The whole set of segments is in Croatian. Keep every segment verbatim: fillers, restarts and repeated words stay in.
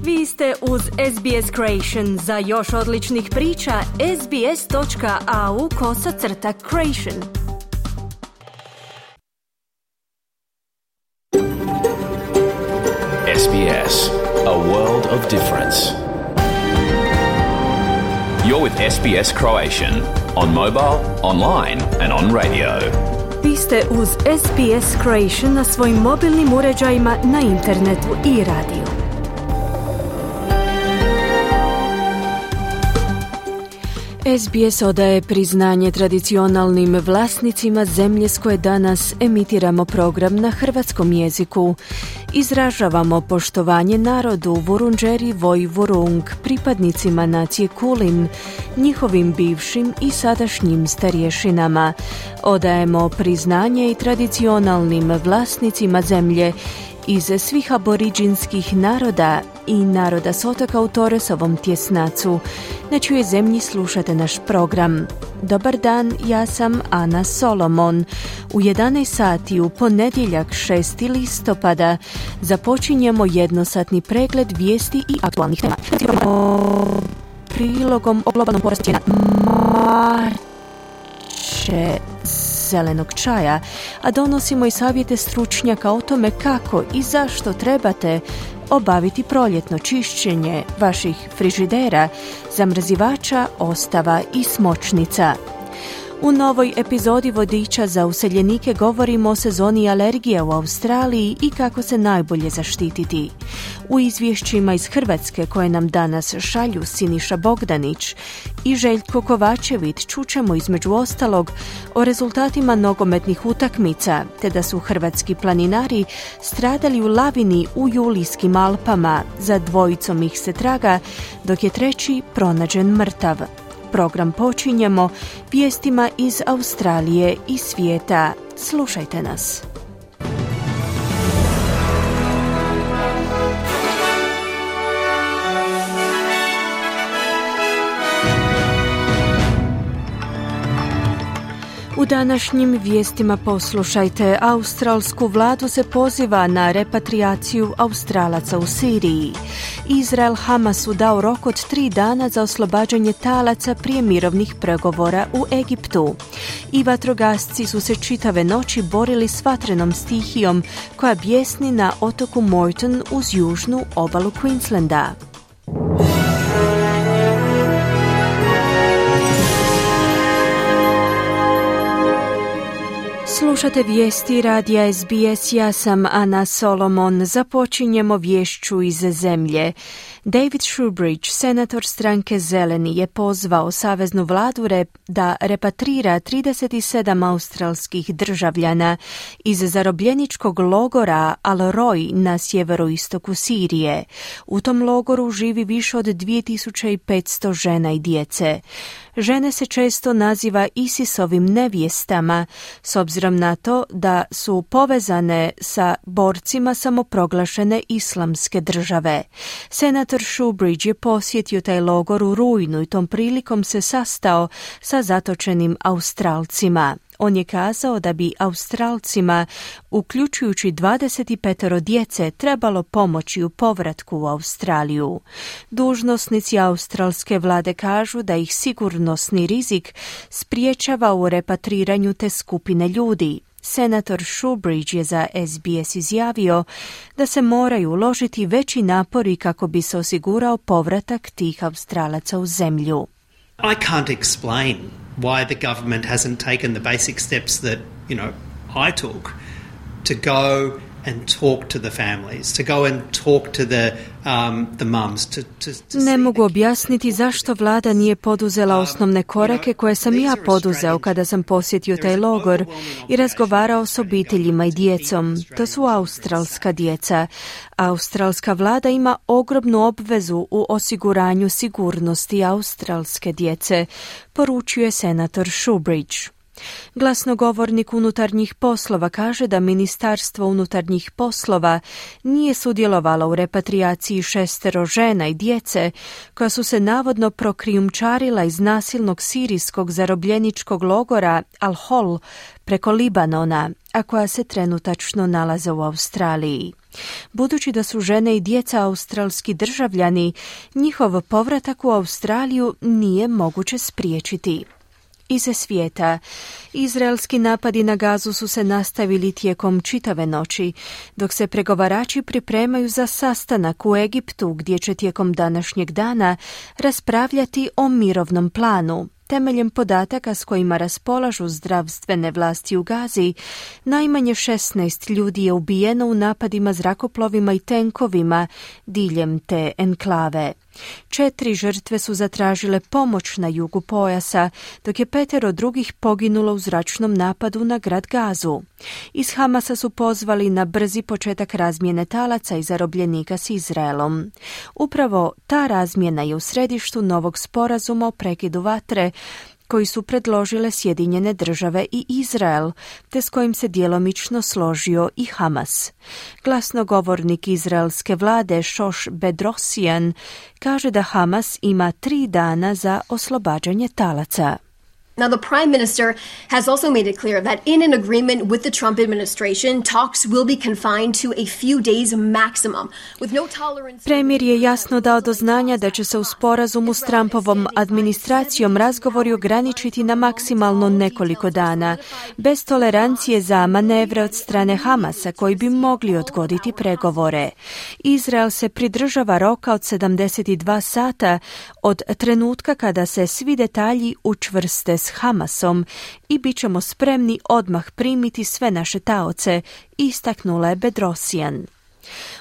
Vi ste uz S B S Creation. Za još odličnih priča, sbs.au kosacrta creation. S B S, a world of difference. You're with S B S Croatian on mobile, online and on radio. Vi ste uz S B S Creation na svojim mobilnim uređajima, na internetu i radiju. S B S odaje priznanje tradicionalnim vlasnicima zemlje s koje danas emitiramo program na hrvatskom jeziku. Izražavamo poštovanje narodu Vurundjeri Voi Vurung, pripadnicima nacije Kulin, njihovim bivšim i sadašnjim starješinama. Odajemo priznanje i tradicionalnim vlasnicima zemlje iz svih aboriđinskih naroda i naroda s otoka u Torresovom tjesnacu, na čijoj zemlji slušate naš program. Dobar dan, ja sam Ana Solomon. U jedanaest sati u ponedjeljak šesti listopada započinjemo jednosatni pregled vijesti i aktualnih tema. Prilogom o globalnom porastu cijena marče zelenog čaja, a donosimo i savjete stručnjaka o tome kako i zašto trebate obaviti proljetno čišćenje vaših frižidera, zamrzivača, ostava i smočnica. U novoj epizodi Vodiča za useljenike govorimo o sezoni alergije u Australiji i kako se najbolje zaštititi. U izvješćima iz Hrvatske koje nam danas šalju Siniša Bogdanić i Željko Kovačević čućemo između ostalog o rezultatima nogometnih utakmica, te da su hrvatski planinari stradali u lavini u Julijskim Alpama. Za dvojicom ih se traga, dok je treći pronađen mrtav. Program počinjemo vijestima iz Australije i svijeta. Slušajte nas. U današnjim vijestima poslušajte, australsku vladu se poziva na repatriaciju Australaca u Siriji. Izrael Hamasu dao rok od tri dana za oslobađanje talaca prije mirovnih pregovora u Egiptu. I vatrogasci su se čitave noći borili s vatrenom stihijom koja bjesni na otoku Moreton uz južnu obalu Queenslanda. Slušate vijesti radija S B S, ja sam Ana Solomon. Započinjemo vješću iz zemlje. David Shoebridge, senator stranke Zeleni, je pozvao saveznu vladu rep da repatrira trideset sedam australskih državljana iz zarobljeničkog logora Al-Roj na sjeveroistoku Sirije. U tom logoru živi više od dvije tisuće petsto žena i djece. Žene se često naziva ISIS-ovim nevjestama, s obzirom na to da su povezane sa borcima samoproglašene islamske države. Senator Shoebridge je posjetio taj logor u rujnu i tom prilikom se sastao sa zatočenim Australcima. On je kazao da bi Australcima, uključujući dvadeset pet djece, trebalo pomoći u povratku u Australiju. Dužnosnici australske vlade kažu da ih sigurnosni rizik spriječava u repatriranju te skupine ljudi. Senator Shoebridge je za S B S izjavio da se moraju uložiti veći napori kako bi se osigurao povratak tih Australaca u zemlju. I can't explain why the government hasn't taken the basic steps that, you know, I took to go and talk to the families, to go and talk to the um, the mums, to, to, to Ne mogu objasniti zašto vlada nije poduzela osnovne korake koje sam ja poduzeo kada sam posjetio taj logor i razgovarao s obiteljima i djecom. To su australska djeca. Australska vlada ima ogromnu obvezu u osiguranju sigurnosti australske djece, poručuje senator Shoebridge. Glasnogovornik unutarnjih poslova kaže da Ministarstvo unutarnjih poslova nije sudjelovalo u repatriaciji šestero žena i djece koja su se navodno prokrijumčarila iz nasilnog sirijskog zarobljeničkog logora Al-Hol preko Libanona. a koja se trenutačno nalaze u Australiji. Budući da su žene i djeca australski državljani, njihov povratak u Australiju nije moguće spriječiti. Iz svijeta. Izraelski napadi na Gazu su se nastavili tijekom čitave noći, dok se pregovarači pripremaju za sastanak u Egiptu, gdje će tijekom današnjeg dana raspravljati o mirovnom planu. Temeljem podataka s kojima raspolažu zdravstvene vlasti u Gazi, najmanje šesnaest ljudi je ubijeno u napadima zrakoplovima i tenkovima diljem te enklave. Četiri žrtve su zatražile pomoć na jugu pojasa, dok je petero drugih poginulo u zračnom napadu na grad Gazu. Iz Hamasa su pozvali na brzi početak razmjene talaca i zarobljenika s Izraelom. Upravo ta razmjena je u središtu novog sporazuma o prekidu vatre, koji su predložile Sjedinjene države i Izrael, te s kojim se djelomično složio i Hamas. Glasnogovornik izraelske vlade Šoš Bedrosian kaže da Hamas ima tri dana za oslobađanje talaca. Now, the Prime Minister has also made it clear that in an agreement with the Trump administration, talks will be confined to a few days maximum, with no tolerance. Premijer je jasno dao do znanja da će se u sporazumu s Trumpovom administracijom razgovori ograničiti na maksimalno nekoliko dana, bez tolerancije za manevre od strane Hamasa koji bi mogli odgoditi pregovore. Izrael se pridržava roka od sedamdeset dva sata od trenutka kada se svi detalji učvrste s Hamasom i bit ćemo spremni odmah primiti sve naše taoce, istaknula je Bedrosian.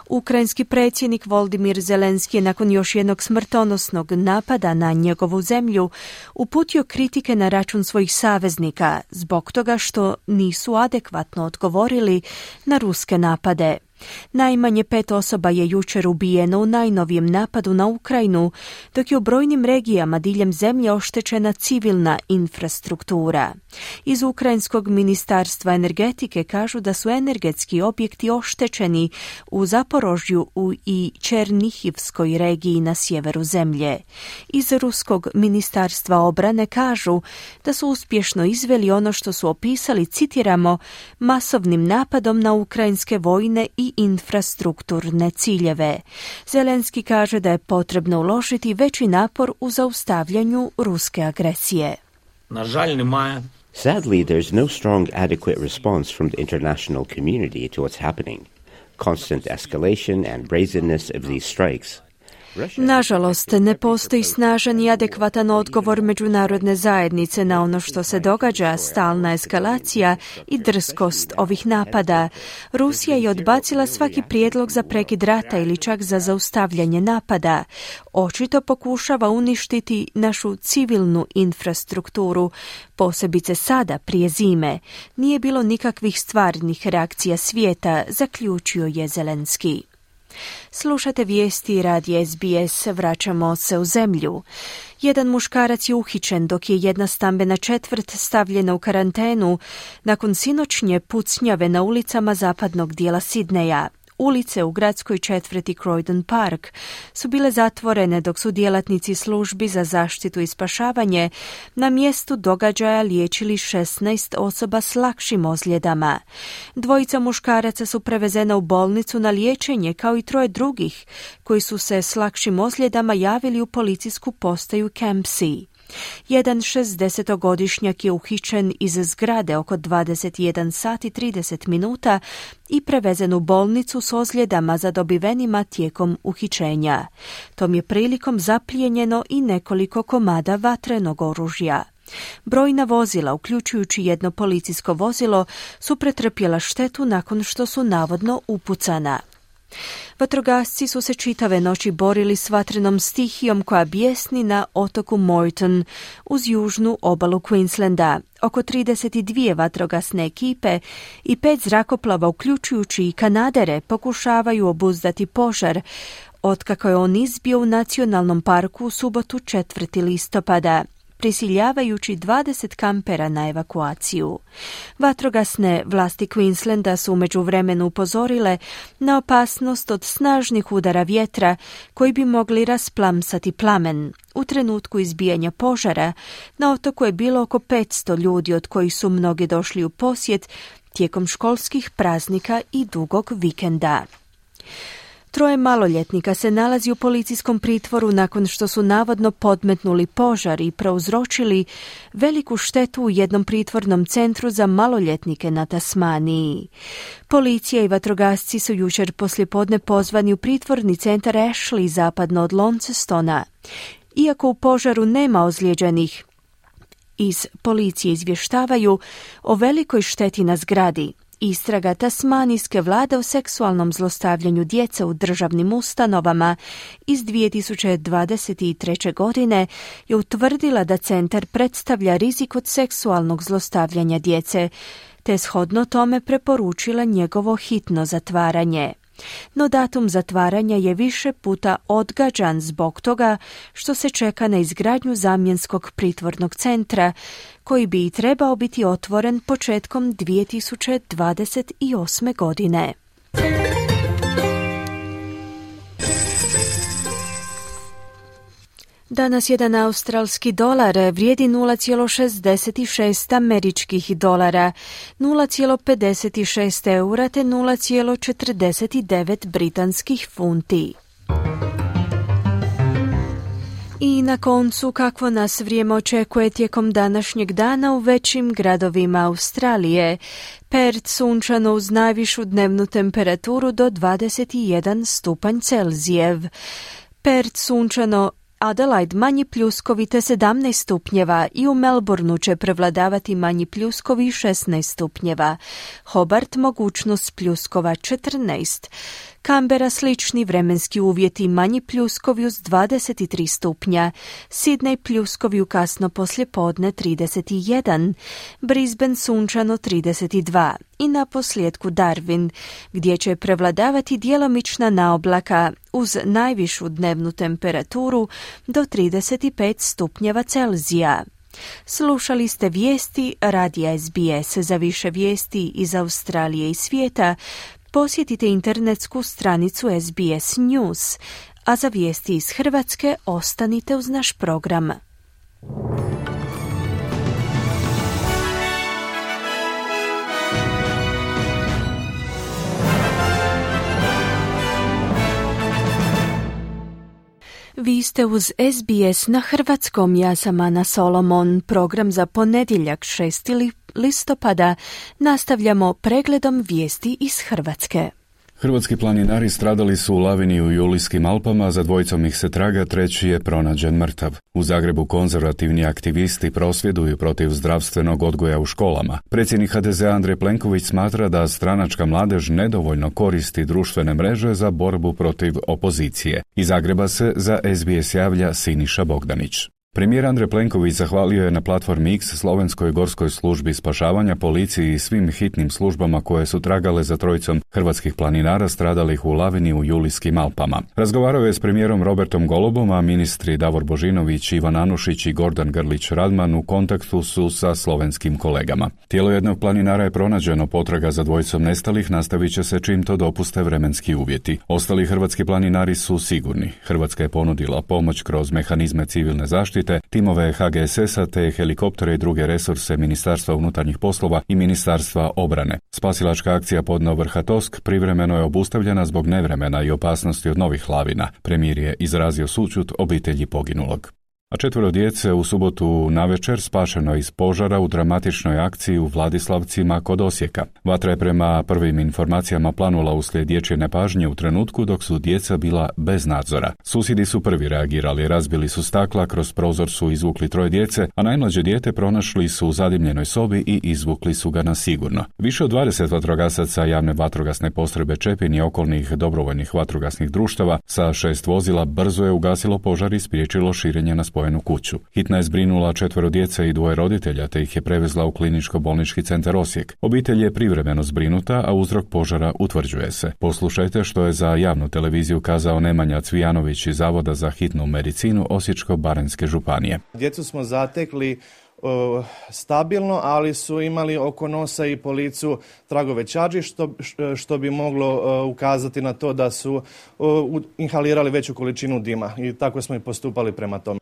Ukrajinski predsjednik Volodymyr Zelenski je nakon još jednog smrtonosnog napada na njegovu zemlju uputio kritike na račun svojih saveznika zbog toga što nisu adekvatno odgovorili na ruske napade. Najmanje pet osoba je jučer ubijeno u najnovijem napadu na Ukrajinu, dok je u brojnim regijama diljem zemlje oštećena civilna infrastruktura. Iz Ukrajinskog ministarstva energetike kažu da su energetski objekti oštećeni u Zaporožju i Černihivskoj regiji na sjeveru zemlje. Iz Ruskog ministarstva obrane kažu da su uspješno izveli ono što su opisali, citiramo, masovnim napadom na ukrajinske vojne i infrastrukturne ciljeve. Zelenski kaže da je potrebno uložiti veći napor u zaustavljanju ruske agresije. Sadly, there's no strong adequate response from the international community to what's happening. Constant escalation and brazenness of these strikes. Nažalost, ne postoji snažan i adekvatan odgovor međunarodne zajednice na ono što se događa, stalna eskalacija i drskost ovih napada. Rusija je odbacila svaki prijedlog za prekid rata ili čak za zaustavljanje napada. Očito pokušava uništiti našu civilnu infrastrukturu, posebice sada, prije zime. Nije bilo nikakvih stvarnih reakcija svijeta, zaključio je Zelenski. Slušate vijesti radija S B S, vraćamo se u zemlju. Jedan muškarac je uhićen dok je jedna stambena četvrt stavljena u karantenu nakon sinoćnje pucnjave na ulicama zapadnog dijela Sidneja. Ulice u gradskoj četvrti Croydon Park su bile zatvorene dok su djelatnici službi za zaštitu i spašavanje na mjestu događaja liječili šesnaest osoba s lakšim ozljedama. Dvojica muškaraca su prevezena u bolnicu na liječenje kao i troje drugih koji su se s lakšim ozljedama javili u policijsku postaju Campsie. Jedan šezdesetogodišnjak je uhićen iz zgrade oko dvadeset jedan sati i trideset minuta i prevezen u bolnicu s ozljedama zadobivenima tijekom uhićenja. Tom je prilikom zaplijenjeno i nekoliko komada vatrenog oružja. Brojna vozila, uključujući jedno policijsko vozilo, su pretrpjela štetu nakon što su navodno upucana. Vatrogasci su se čitave noći borili s vatrenom stihijom koja bijesni na otoku Moreton uz južnu obalu Queenslanda. Oko trideset dvije vatrogasne ekipe i pet zrakoplova, uključujući i kanadere, pokušavaju obuzdati požar, otkako je on izbio u nacionalnom parku u subotu četvrtog listopada, prisiljavajući dvadeset kampera na evakuaciju. Vatrogasne vlasti Queenslanda su u međuvremenu upozorile na opasnost od snažnih udara vjetra koji bi mogli rasplamsati plamen. U trenutku izbijanja požara na otoku je bilo oko petsto ljudi, od kojih su mnogi došli u posjet tijekom školskih praznika i dugog vikenda. Troje maloljetnika se nalazi u policijskom pritvoru nakon što su navodno podmetnuli požar i prouzročili veliku štetu u jednom pritvornom centru za maloljetnike na Tasmaniji. Policija i vatrogasci su jučer poslijepodne pozvani u pritvorni centar Ashley zapadno od Launcestona. Iako u požaru nema ozlijeđenih, iz policije izvještavaju o velikoj šteti na zgradi. Istraga tasmanijske vlade o seksualnom zlostavljanju djece u državnim ustanovama iz dvije tisuće dvadeset treće. godine je utvrdila da centar predstavlja rizik od seksualnog zlostavljanja djece, te shodno tome preporučila njegovo hitno zatvaranje. No datum zatvaranja je više puta odgađan zbog toga što se čeka na izgradnju zamjenskog pritvornog centra, koji bi i trebao biti otvoren početkom dvije tisuće dvadeset osme. godine. Danas jedan australski dolar vrijedi nula zarez šezdeset šest američkih dolara, nula zarez pedeset šest eura te nula zarez četrdeset devet britanskih funti. I na koncu, kakvo nas vrijeme očekuje tijekom današnjeg dana u većim gradovima Australije. Perth sunčano uz najvišu dnevnu temperaturu do dvadeset jedan stupanj Celzijev. Perth sunčano, Adelaide manji pljuskovi te sedamnaest stupnjeva i u Melbourneu će prevladavati manji pljuskovi šesnaest stupnjeva. Hobart mogućnost pljuskova četrnaest. Canberra slični vremenski uvjeti, manji pljuskovi uz dvadeset tri stupnja. Sydney pljuskovi u kasno poslijepodne trideset jedan. Brisbane sunčano trideset dva. I na posljedku Darwin, gdje će prevladavati djelomična naoblaka uz najvišu dnevnu temperaturu do trideset pet stupnjeva Celzija. Slušali ste vijesti radija S B S. Za više vijesti iz Australije i svijeta posjetite internetsku stranicu S B S News, a za vijesti iz Hrvatske ostanite uz naš program. Vi ste uz S B S na hrvatskom, ja sam Ana Solomon. Program za ponedjeljak šestog listopada nastavljamo pregledom vijesti iz Hrvatske. Hrvatski planinari stradali su u lavini u Julijskim Alpama, za dvojicom ih se traga, treći je pronađen mrtav. U Zagrebu konzervativni aktivisti prosvjeduju protiv zdravstvenog odgoja u školama. Predsjednik H D Z-a Andrej Plenković smatra da stranačka mladež nedovoljno koristi društvene mreže za borbu protiv opozicije. Iz Zagreba se za S B S javlja Siniša Bogdanić. Premijer Andrej Plenković zahvalio je na platformi X Slovenskoj gorskoj službi spašavanja, policiji i svim hitnim službama koje su tragale za trojicom hrvatskih planinara stradalih u lavini u Julijskim Alpama. Razgovarao je s premijerom Robertom Golubom, a ministri Davor Božinović, Ivan Anušić i Gordan Grlić Radman u kontaktu su sa slovenskim kolegama. Tijelo jednog planinara je pronađeno, potraga za dvojicom nestalih nastavit će se čim to dopuste vremenski uvjeti. Ostali hrvatski planinari su sigurni. Hrvatska je ponudila pomoć kroz mehanizme civilne zaštite, timove H G S S-a te helikoptere i druge resurse Ministarstva unutarnjih poslova i Ministarstva obrane. Spasilačka akcija Podno Vrhatosk privremeno je obustavljena zbog nevremena i opasnosti od novih lavina. Premijer je izrazio sućut obitelji poginulog. A četvero djece u subotu navečer spašeno iz požara u dramatičnoj akciji u Vladislavcima kod Osijeka. Vatra je prema prvim informacijama planula uslijed dječje nepažnje u trenutku dok su djeca bila bez nadzora. Susjedi su prvi reagirali, razbili su stakla, kroz prozor su izvukli troje djece, a najmlađe dijete pronašli su u zadimljenoj sobi i izvukli su ga na sigurno. Više od dvadeset vatrogasaca javne vatrogasne postrojbe Čepin i okolnih dobrovoljnih vatrogasnih društava sa šest vozila brzo je ugasilo požar i spriječilo širenje na spojenu kuću. Hitna je zbrinula četvero djece i dvoje roditelja te ih je prevezla u kliničko-bolnički centar Osijek. Obitelj je privremeno zbrinuta, a uzrok požara utvrđuje se. Poslušajte što je za javnu televiziju kazao Nemanja Cvijanović iz Zavoda za hitnu medicinu Osječko-baranjske županije. Djecu smo zatekli uh, stabilno, ali su imali oko nosa i po licu tragove čađi, što, što bi moglo uh, ukazati na to da su uh, inhalirali veću količinu dima i tako smo i postupali prema tome.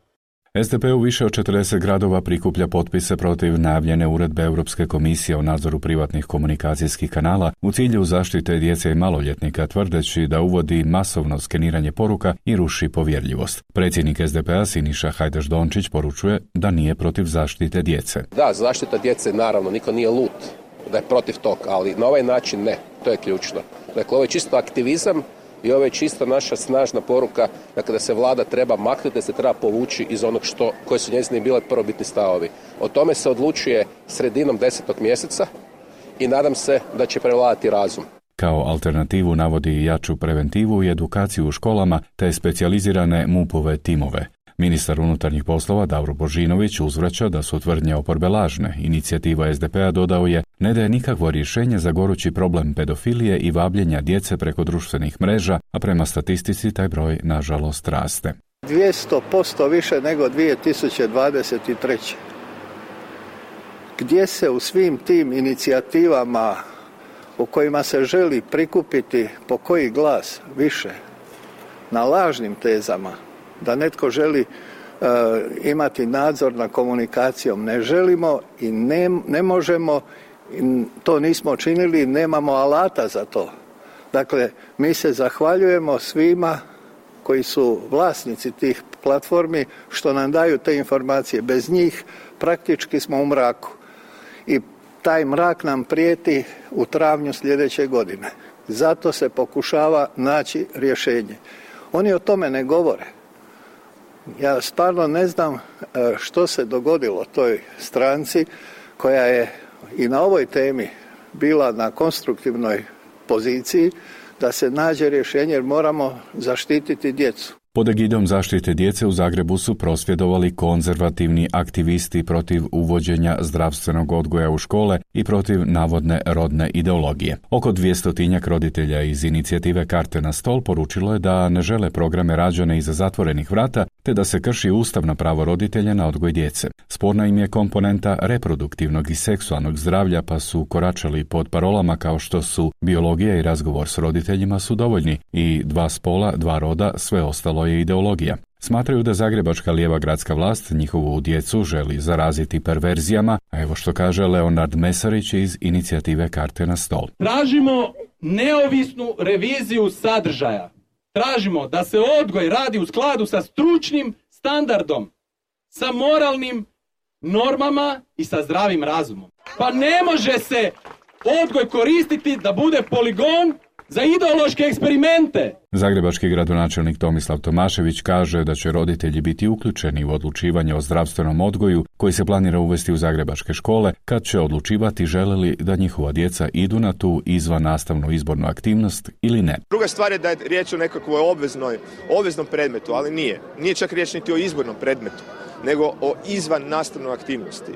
S D P u više od četrdeset gradova prikuplja potpise protiv najavljene uredbe Europske komisije o nadzoru privatnih komunikacijskih kanala u cilju zaštite djece i maloljetnika, tvrdeći da uvodi masovno skeniranje poruka i ruši povjerljivost. Predsjednik S D P-a Siniša Hajdaš-Dončić poručuje da nije protiv zaštite djece. Da, zaštita djece, naravno, niko nije lud da je protiv tog, ali na ovaj način ne, to je ključno. Dakle, ovo je čisto aktivizam i ovo je čisto naša snažna poruka, dakle, da se vlada treba maknuti, da se treba povući iz onog što, koje su njezini bile prvobitni stavovi. O tome se odlučuje sredinom desetog mjeseca i nadam se da će prevladati razum. Kao alternativu navodi jaču preventivu i edukaciju u školama te specijalizirane M U P-ove timove. Ministar unutarnjih poslova Davor Božinović uzvraća da su tvrdnje oporbe lažne. Inicijativa S D P-a, dodao je, ne daje nikakvo rješenje za gorući problem pedofilije i vabljenja djece preko društvenih mreža, a prema statistici taj broj nažalost raste. dvjesto posto više nego dvije tisuće dvadeset treće. Gdje se u svim tim inicijativama u kojima se želi prikupiti po koji glas više na lažnim tezama, da netko želi uh, imati nadzor nad komunikacijom, ne želimo i ne, ne možemo, i to nismo činili, nemamo alata za to. Dakle, mi se zahvaljujemo svima koji su vlasnici tih platformi što nam daju te informacije. Bez njih praktički smo u mraku. I taj mrak nam prijeti u travnju sljedeće godine. Zato se pokušava naći rješenje. Oni o tome ne govore. Ja stvarno ne znam što se dogodilo toj stranci koja je i na ovoj temi bila na konstruktivnoj poziciji da se nađe rješenje jer moramo zaštititi djecu. Pod egidom zaštite djece u Zagrebu su prosvjedovali konzervativni aktivisti protiv uvođenja zdravstvenog odgoja u škole i protiv navodne rodne ideologije. Oko dvjestotinjak roditelja iz inicijative Karte na stol poručilo je da ne žele programe rađene iza zatvorenih vrata, te da se krši ustavno pravo roditelja na odgoj djece. Sporna im je komponenta reproduktivnog i seksualnog zdravlja, pa su koračali pod parolama kao što su biologija i razgovor s roditeljima su dovoljni i dva spola, dva roda, sve ostalo je ideologija. Smatraju da zagrebačka lijeva gradska vlast njihovu djecu želi zaraziti perverzijama, a evo što kaže Leonard Mesarić iz inicijative Karte na stol. Tražimo neovisnu reviziju sadržaja. Tražimo da se odgoj radi u skladu sa stručnim standardom, sa moralnim normama i sa zdravim razumom. Pa ne može se odgoj koristiti da bude poligon za ideološke eksperimente. Zagrebački gradonačelnik Tomislav Tomašević kaže da će roditelji biti uključeni u odlučivanje o zdravstvenom odgoju koji se planira uvesti u zagrebačke škole, kad će odlučivati žele li da njihova djeca idu na tu izvan nastavnu izbornu aktivnost ili ne. Druga stvar je da je riječ o nekakvoj obveznoj, obveznom predmetu, ali nije. Nije čak riječ niti o izbornom predmetu, nego o izvan nastavnoj aktivnosti.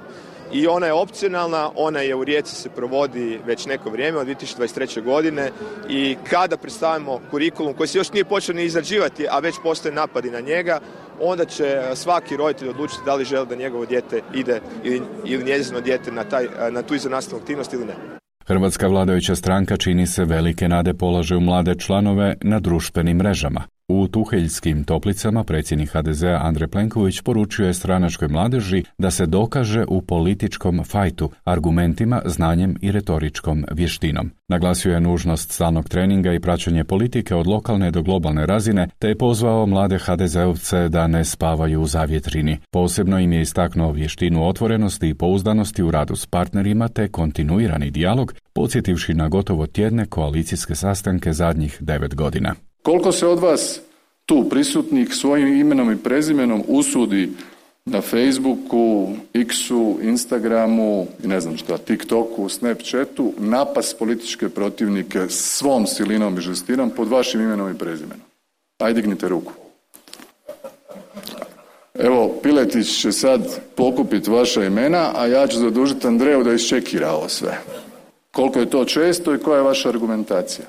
I ona je opcionalna, ona je u Rijeci se provodi već neko vrijeme, od dvije tisuće dvadeset treće godine i kada predstavimo kurikulum koji se još nije počeo ni izrađivati, a već postoje napadi na njega, onda će svaki roditelj odlučiti da li želi da njegovo dijete ide ili, ili njezino dijete na, taj, na tu izvannastavnu aktivnost ili ne. Hrvatska vladajuća stranka čini se velike nade polaže u mlade članove na društvenim mrežama. U Tuheljskim Toplicama predsjednik H D Z-a Andrej Plenković poručio je stranačkoj mladeži da se dokaže u političkom fajtu, argumentima, znanjem i retoričkom vještinom. Naglasio je nužnost stalnog treninga i praćenje politike od lokalne do globalne razine, te je pozvao mlade ha de zeovce da ne spavaju u zavjetrini. Posebno im je istaknuo vještinu otvorenosti i pouzdanosti u radu s partnerima te kontinuirani dijalog, podsjetivši na gotovo tjedne koalicijske sastanke zadnjih devet godina. Koliko se od vas tu prisutnih svojim imenom i prezimenom usudi na Facebooku, X-u, Instagramu i ne znam šta, TikToku, Snapchatu napas političke protivnike svom silinom i žestinom pod vašim imenom i prezimenom? Ajde, dignite ruku. Evo, Piletić će sad pokupiti vaša imena, a ja ću zadužiti Andreju da iščekira ovo sve. Koliko je to često i koja je vaša argumentacija?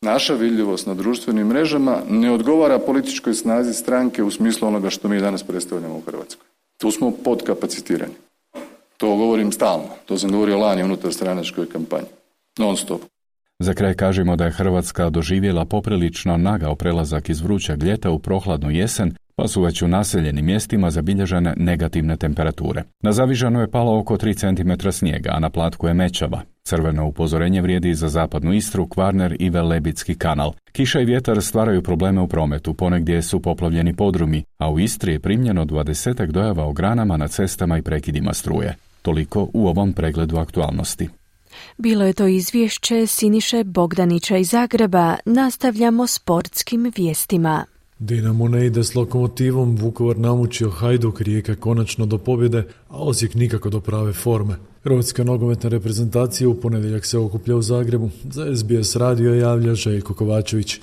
Naša vidljivost na društvenim mrežama ne odgovara političkoj snazi stranke u smislu onoga što mi danas predstavljamo u Hrvatskoj. Tu smo podkapacitirani. To govorim stalno. To sam govorio lani unutar stranačkoj kampanji. Non stop. Za kraj kažemo da je Hrvatska doživjela poprilično nagao prelazak iz vrućeg ljeta u prohladnu jesen, pa su već u naseljenim mjestima zabilježene negativne temperature. Na Zavižanu je palo oko tri centimetra snijega, a na Platku je mećava. Crveno upozorenje vrijedi i za zapadnu Istru, Kvarner i Velebitski kanal. Kiša i vjetar stvaraju probleme u prometu, ponegdje su poplavljeni podrumi, a u Istri je primljeno dvadesetak dojava o granama na cestama i prekidima struje. Toliko u ovom pregledu aktualnosti. Bilo je to izvješće Siniše Bogdanića iz Zagreba. Nastavljamo sportskim vijestima. Dinamo ne ide s Lokomotivom, Vukovar namučio Hajduk, Rijeka konačno do pobjede, a Osijek nikako do prave forme. Hrvatska nogometna reprezentacija u ponedjeljak se okuplja u Zagrebu. Za S B S radio javlja Željko Kovačević.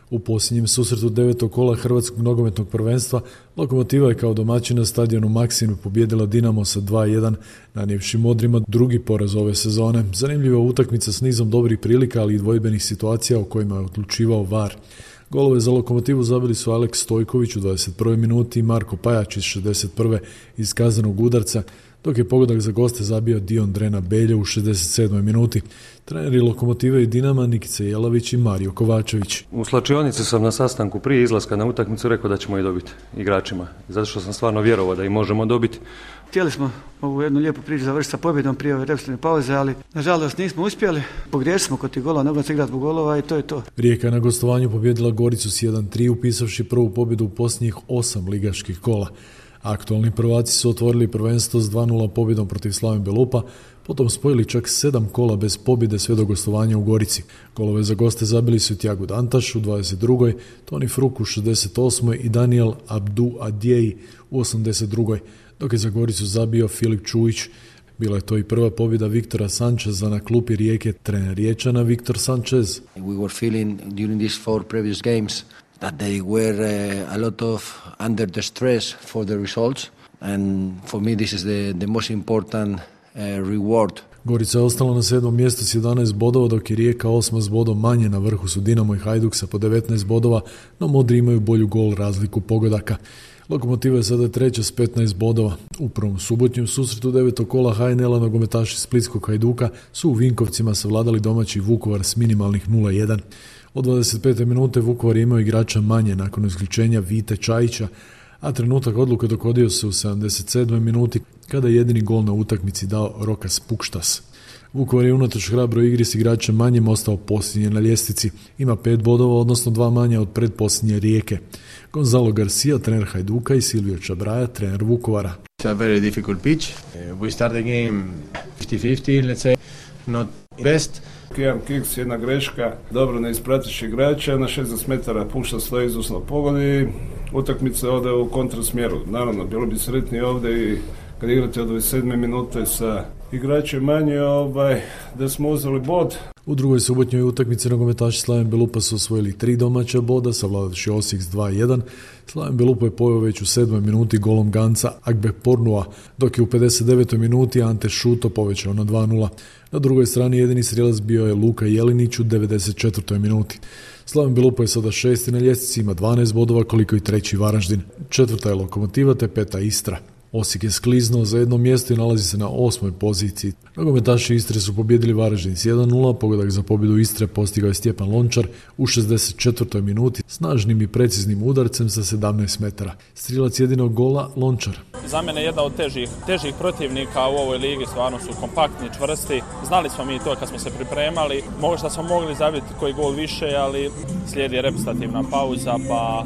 U posljednjem susretu devetog kola Hrvatskog nogometnog prvenstva Lokomotiva je kao domaćin na stadionu Maksimir pobijedila Dinamo sa dva jedan, nanijevši Modrima drugi poraz ove sezone. Zanimljiva utakmica s nizom dobrih prilika, ali i dvojbenih situacija u kojima je odlučivao V A R. Golove za Lokomotivu zabili su Aleks Stojković u dvadeset prvoj minuti i Marko Pajač iz šezdeset prve iz kaznenog udarca, dok je pogodak za goste zabio Dion Drena Belje u šezdeset sedmoj minuti. Treneri Lokomotive i Dinama Nikica Jelavić i Mario Kovačević. U slačionici sam na sastanku prije izlaska na utakmicu rekao da ćemo i dobiti igračima, zato što sam stvarno vjerovao da i možemo dobiti. Htjeli smo ovu jednu lijepu priču završiti sa pobjedom prije ove represivne pauze, ali nažalost nismo uspjeli. Pogriješili smo kod tih gola, nego se igrati zbog golova i to je to. Rijeka je na gostovanju pobjedila Goricu s jedan tri, upisavši prvu pobjedu u posljednjih osam ligaških kola. Aktualni prvaci su otvorili prvenstvo s dva nula pobjedom protiv Slaven Belupa, potom spojili čak sedam kola bez pobjede sve do gostovanja u Gorici. Golove za goste zabili su Tiago Dantaš u dvadeset drugoj, Toni Fruk u šezdeset osmoj i Daniel Abdu Adjeji u osamdeset drugoj, dok je za Goricu zabio Filip Čujić. Bila je to i prva pobjeda Viktora Sančeza na klupi Rijeke, trener Riječana Viktor Sanchez. We were feeling during these four previous games that they were uh, a lot of under the stress for the results, and for me this is the, the most important uh, reward. Gorica je ostala na sedmom mjestu s jedanaest bodova, dok je Rijeka osma s bodom manje. Na vrhu su Dinamo i Hajduk sa po devetnaest bodova, no Modri imaju bolju gol razliku pogodaka. Lokomotiva je sada treća s petnaest bodova. U prvom subotnjem susretu devetog kola H N L-a nogometaši Splitskog Hajduka su u Vinkovcima savladali domaći Vukovar s minimalnih nula jedan. Od dvadeset pete minute Vukovar je imao igrača manje nakon isključenja Vite Čajića, a trenutak odluke dogodio se u sedamdeset sedmoj minuti kada je jedini gol na utakmici dao Rokas Pukštas. Vukovar je unatoč hrabroj igri s igračem manjim ostao posljednji na ljestvici. Ima pet bodova, odnosno dva manje od predposljednje Rijeke. Gonzalo Garcia, trener Hajduka, i Silvio Čabraja, trener Vukovara. It's a very difficult pitch. Uh, we start the game fifty fifty, let's say, not best. Jedan kiks, jedna greška, dobro ne ispratiš igrača, na šezdeset metara pušta stoji izusno pogodi, utakmica ode u kontrasmjeru. Naravno, bilo bi sretniji ovdje i kad igrate od dvadeset sedme minute sa igračem manje, ovaj, da smo uzeli bod. U drugoj subotnjoj utakmici nogometaši Slaven Belupa su osvojili tri domaća boda, savladavši Osijek s dva jedan. Slaven Belupa je poveo već u sedmoj minuti golom Ganca Agbepornua, dok je u pedeset devetoj minuti Ante Šuto povećao na dva nula. Na drugoj strani jedini strijelac bio je Luka Jelinić u devedeset četvrtoj minuti. Slaven Belupa je sada šesti na ljestvici, ima dvanaest bodova koliko i treći Varaždin. Četvrta je Lokomotiva te peta Istra. Osijek je skliznuo za jedno mjesto i nalazi se na osmoj poziciji. Nogometaši Istre su pobjedili Varaždin s jedan nula, pogodak za pobjedu Istre postigao je Stjepan Lončar u šezdeset četvrtoj minuti snažnim i preciznim udarcem sa sedamnaest metara. Strijelac jedinog gola Lončar. Za mene jedna od težih, težih protivnika u ovoj ligi, stvarno su kompaktni, čvrsti. Znali smo mi to kad smo se pripremali, možda smo mogli zabiti koji gol više, ali slijedi reprezentativna pauza pa,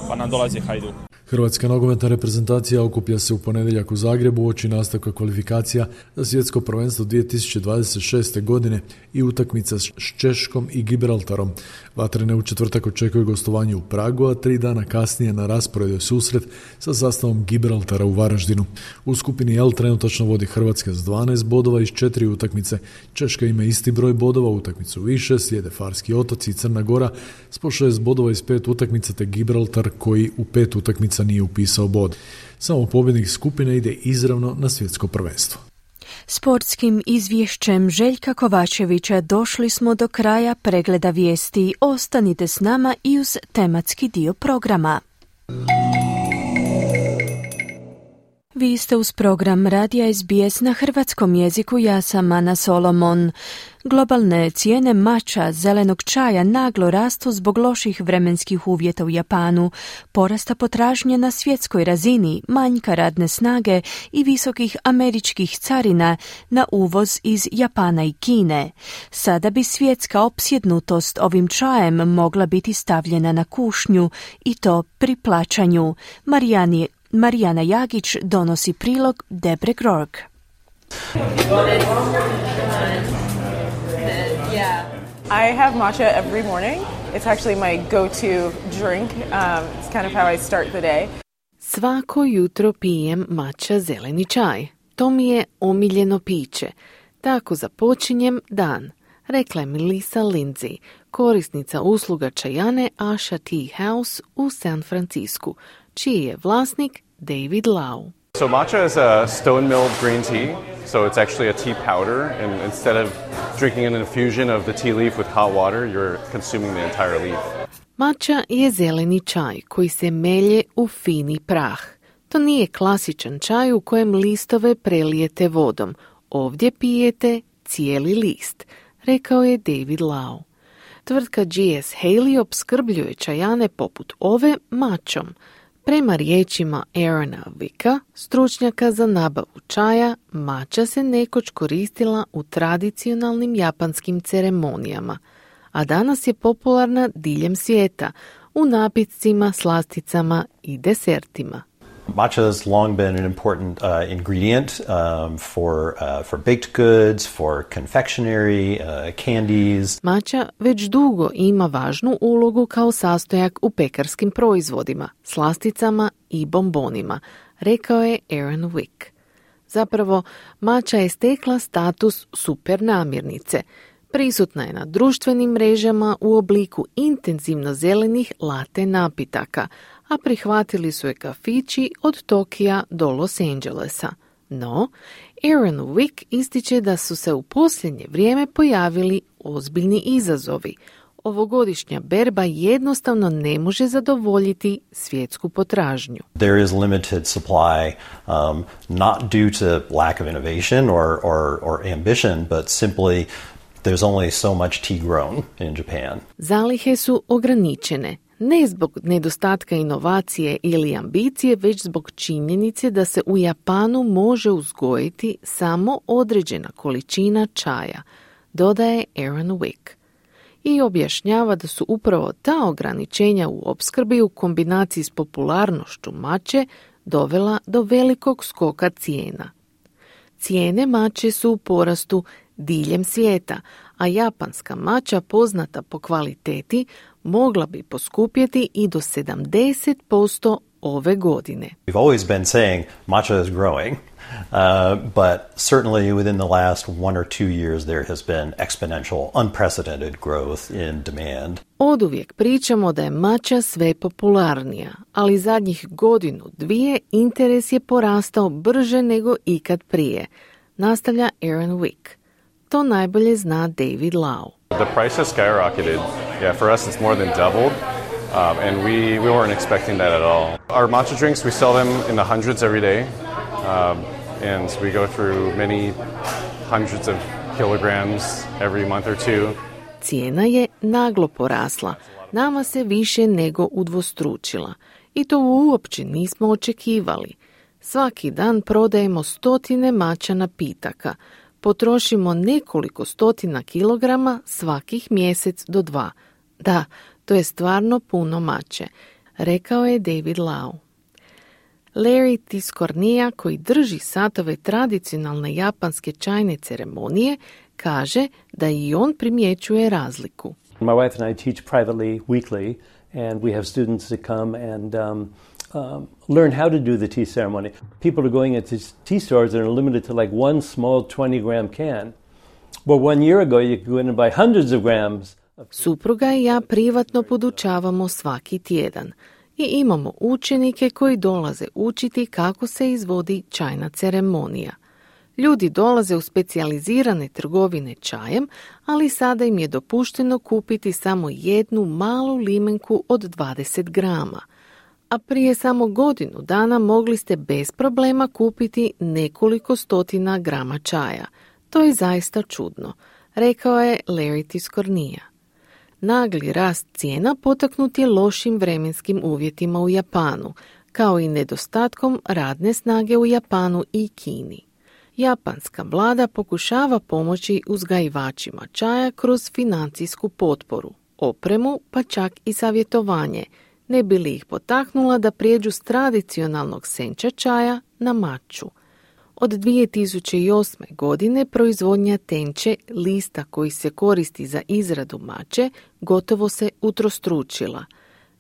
pa nam dolazi Hajduk. Hrvatska nogometna reprezentacija okuplja se u ponedjeljak u Zagrebu uoči nastavka kvalifikacija za svjetsko prvenstvo dvije tisuće dvadeset šeste. godine i utakmica s Češkom i Gibraltarom. Vatrene u četvrtak očekuju gostovanje u Pragu, a tri dana kasnije na rasporedu je susret sa sastavom Gibraltara u Varaždinu. U skupini L trenutačno vodi Hrvatska s dvanaest bodova iz četiri utakmice. Češka ima isti broj bodova, utakmicu više, slijede Farski otoci i Crna Gora s po šest bodova iz pet utakmica, te Gibraltar koji u pet utakmica nije upisao bod. Samo pobjednik skupine ide izravno na svjetsko prvenstvo. Sportskim izvješćem Željka Kovačevića došli smo do kraja pregleda vijesti. Ostanite s nama i uz tematski dio programa. Vi ste uz program Radija S B S na hrvatskom jeziku, ja sam Ana Solomon. Globalne cijene mača, zelenog čaja naglo rastu zbog loših vremenskih uvjeta u Japanu, porasta potražnje na svjetskoj razini, manjka radne snage i visokih američkih carina na uvoz iz Japana i Kine. Sada bi svjetska opsjednutost ovim čajem mogla biti stavljena na kušnju i to pri plaćanju. Marijani Marijana Jagić donosi prilog Debre Grorg. I have matcha every morning. It's actually my go-to drink. Um, it's kind of how I start the day. Svako jutro pijem matcha zeleni čaj. To mi je omiljeno piće. Tako započinjem dan, rekla je Melissa Lindsay, korisnica usluga čajane Asha Tea House u San Francisku, čiji je vlasnik David Lau. So matcha is a stone-milled green tea, so it's actually a tea powder, and instead of drinking an infusion of the tea leaf with hot water, you're consuming the entire leaf. Matcha je zeleni čaj koji se melje u fini prah. To nije klasičan čaj u kojem listove prelijete vodom. Ovdje pijete cijeli list, rekao je David Lau. Tvrtka G S Haley opskrbljuje čajane poput ove mačom. Prema riječima Aarona Wicka, stručnjaka za nabavu čaja, mača se nekoć koristila u tradicionalnim japanskim ceremonijama, a danas je popularna diljem svijeta u napitcima, slasticama i desertima. Matcha has long been an important uh, ingredient um, for uh, for baked goods, for confectionery, uh, candies. Matcha već dugo ima važnu ulogu kao sastojak u pekarskim proizvodima, slasticama i bombonima, rekao je Aaron Wick. Zapravo, matcha je stekla status super namirnice. Prisutna je na društvenim mrežama u obliku intenzivno zelenih latte napitaka, a prihvatili su je kafići od Tokija do Los Angelesa. No, Aaron Wick ističe da su se u posljednje vrijeme pojavili ozbiljni izazovi. Ovogodišnja berba jednostavno ne može zadovoljiti svjetsku potražnju. There is limited supply, um, not due to lack of innovation or, or, or ambition, but simply there's only so much tea grown in Japan. Zalihe su ograničene. Ne zbog nedostatka inovacije ili ambicije, već zbog činjenice da se u Japanu može uzgojiti samo određena količina čaja, dodaje Aaron Wick. I objašnjava da su upravo ta ograničenja u opskrbi u kombinaciji s popularnošću mače dovela do velikog skoka cijena. Cijene mače su u porastu diljem svijeta, a japanska mača poznata po kvaliteti mogla bi poskupjeti i do sedamdeset posto ove godine. We've always been saying matcha is growing, uh, but certainly within the last one or two years there has been exponential, unprecedented growth in demand. Oduvijek pričamo da je mača sve popularnija, ali zadnjih godinu, dvije interes je porastao brže nego ikad prije, nastavlja Aaron Wick. To najbolje zna David Lau. The price has skyrocketed. Yeah, for us it's more than doubled, um, and we, we weren't expecting that at all. Our matcha drinks, we sell them in the hundreds every day, um, and we go through many hundreds of kilograms every month or two. Cijena je naglo porasla, nama se više nego udvostručila i to uopće nismo očekivali. Svaki dan prodajemo stotine mača napitaka, potrošimo nekoliko stotina kilograma svakih mjesec do dva. Da, to je stvarno puno mače, rekao je David Lau. Larry Tiscornia, koji drži satove tradicionalne japanske čajne ceremonije, kaže da i on primjećuje razliku. My wife and I teach privately weekly, and we have students that come and um, um, learn how to do the tea ceremony. People are going into tea stores that are limited to like one small twenty gram can. Well, one year ago you could go in and buy hundreds of grams. Supruga i ja privatno podučavamo svaki tjedan i imamo učenike koji dolaze učiti kako se izvodi čajna ceremonija. Ljudi dolaze u specijalizirane trgovine čajem, ali sada im je dopušteno kupiti samo jednu malu limenku od dvadeset grama. a prije samo godinu dana mogli ste bez problema kupiti nekoliko stotina grama čaja. To je zaista čudno, rekao je Larry Tiscornia. Nagli rast cijena potaknut je lošim vremenskim uvjetima u Japanu, kao i nedostatkom radne snage u Japanu i Kini. Japanska vlada pokušava pomoći uzgajivačima čaja kroz financijsku potporu, opremu pa čak i savjetovanje, ne bi li ih potaknula da prijeđu s tradicionalnog senča čaja na maču. Od dvije tisuće osme. godine proizvodnja tenče, lista koji se koristi za izradu mače, gotovo se utrostručila.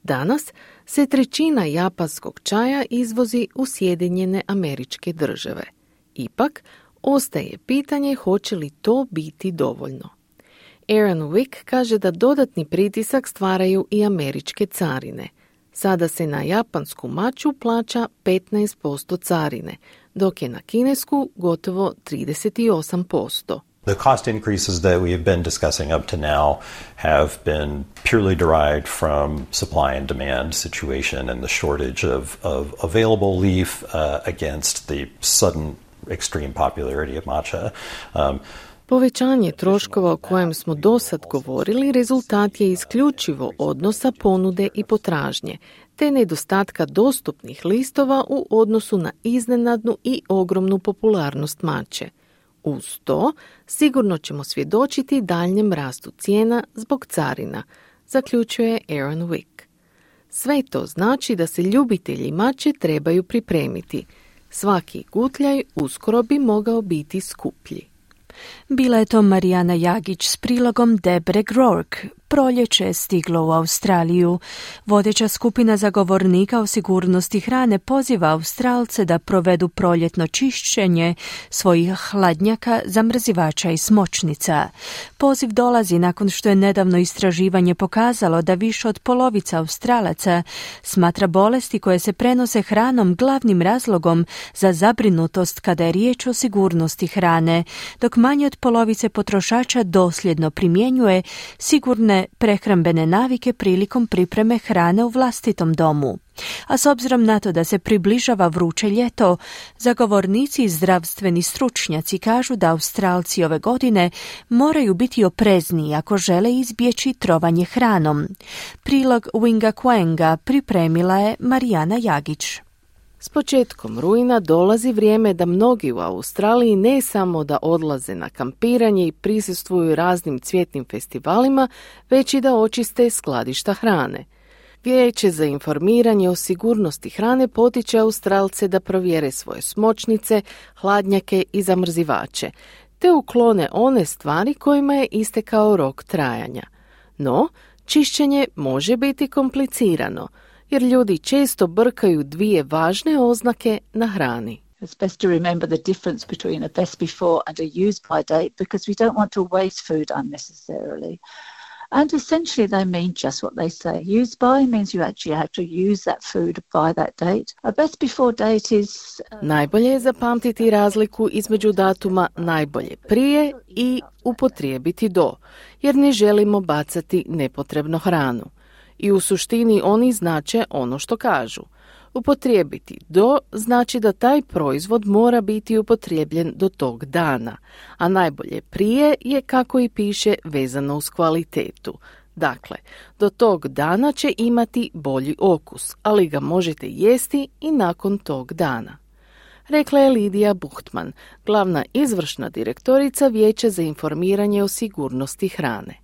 Danas se trećina japanskog čaja izvozi u Sjedinjene Američke Države. Ipak, ostaje pitanje hoće li to biti dovoljno. Aaron Wick kaže da dodatni pritisak stvaraju i američke carine. Sada se na japansku maču plaća petnaest posto carine, dok je na kinesku gotovo trideset osam posto. The cost increases that we have been discussing up to now have been purely derived from supply and demand situation and the shortage of, of available leaf uh, against the sudden extreme popularity of matcha. Um, Povećanje troškova o kojem smo dosad govorili rezultat je isključivo odnosa ponude i potražnje, te nedostatka dostupnih listova u odnosu na iznenadnu i ogromnu popularnost mače. Uz to, sigurno ćemo svjedočiti daljnjem rastu cijena zbog carina, zaključuje Aaron Wick. Sve to znači da se ljubitelji mače trebaju pripremiti. Svaki gutljaj uskoro bi mogao biti skuplji. Bila je to Marijana Jagić s prilogom Debre Grork. Proljeće je stiglo u Australiju. Vodeća skupina zagovornika o sigurnosti hrane poziva Australce da provedu proljetno čišćenje svojih hladnjaka, zamrzivača i smočnica. Poziv dolazi nakon što je nedavno istraživanje pokazalo da više od polovica Australaca smatra bolesti koje se prenose hranom glavnim razlogom za zabrinutost kada je riječ o sigurnosti hrane, dok manje od polovice potrošača dosljedno primjenjuje sigurne prehrambene navike prilikom pripreme hrane u vlastitom domu. A s obzirom na to da se približava vruće ljeto, zagovornici i zdravstveni stručnjaci kažu da Australci ove godine moraju biti oprezniji ako žele izbjeći trovanje hranom. Prilog Winga Quenga pripremila je Marijana Jagić. S početkom rujna dolazi vrijeme da mnogi u Australiji ne samo da odlaze na kampiranje i prisustvuju raznim cvjetnim festivalima, već i da očiste skladišta hrane. Vijeće za informiranje o sigurnosti hrane potiče Australce da provjere svoje smočnice, hladnjake i zamrzivače, te uklone one stvari kojima je istekao rok trajanja. No, čišćenje može biti komplicirano, jer ljudi često brkaju dvije važne oznake na hrani. It's best to remember the difference between a best before and a use by date because we don't want to waste food unnecessarily. And essentially they mean just what they say. Use by means you actually have to use that food by that date. A best before date is... Uh... Najbolje je zapamtiti razliku između datuma najbolje prije i upotrijebiti do, jer ne želimo bacati nepotrebno hranu. I u suštini oni znače ono što kažu. Upotrijebiti do znači da taj proizvod mora biti upotrijebljen do tog dana, a najbolje prije je, kako i piše, vezano uz kvalitetu. Dakle, do tog dana će imati bolji okus, ali ga možete jesti i nakon tog dana. Rekla je Lidija Buchtman, glavna izvršna direktorica Vijeća za informiranje o sigurnosti hrane.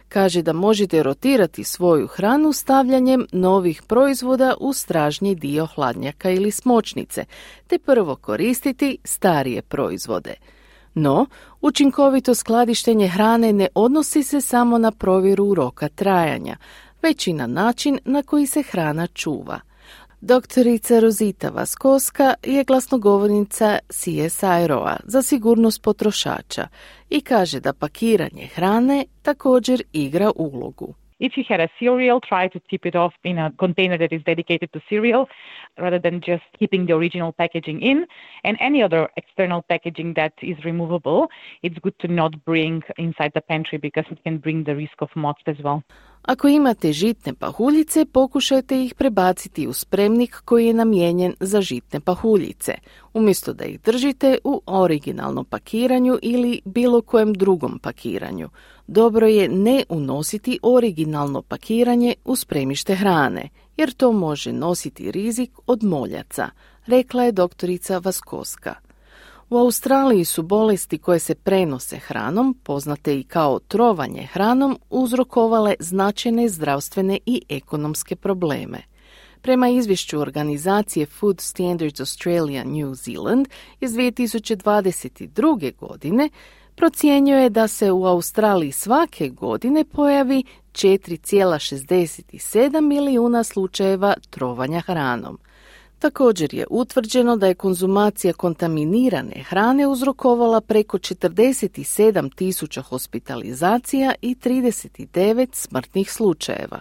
Kaže da možete rotirati svoju hranu stavljanjem novih proizvoda u stražnji dio hladnjaka ili smočnice, te prvo koristiti starije proizvode. No, učinkovito skladištenje hrane ne odnosi se samo na provjeru roka trajanja, već i na način na koji se hrana čuva. Doktorica Rosita Vaskoska je glasnogovornica C S I R O-a za sigurnost potrošača i kaže da pakiranje hrane također igra ulogu. If you had a cereal, try to tip it off in a container that is dedicated to cereal rather than just keeping the original packaging in. And any other external packaging that is removable, it's good to not bring inside the pantry because it can bring the risk of moths as well. Ako imate žitne pahuljice, pokušajte ih prebaciti u spremnik koji je namijenjen za žitne pahuljice, umjesto da ih držite u originalnom pakiranju ili bilo kojem drugom pakiranju. Dobro je ne unositi originalno pakiranje u spremište hrane, jer to može nositi rizik od moljaca, rekla je doktorica Vaskoska. U Australiji su bolesti koje se prenose hranom, poznate i kao trovanje hranom, uzrokovale značajne zdravstvene i ekonomske probleme. Prema izvješću organizacije Food Standards Australia New Zealand iz dvije tisuće dvadeset druge. godine procjenjuje da se u Australiji svake godine pojavi četiri zarez šezdeset sedam milijuna slučajeva trovanja hranom. Također je utvrđeno da je konzumacija kontaminirane hrane uzrokovala preko četrdeset sedam tisuća hospitalizacija i trideset devet smrtnih slučajeva.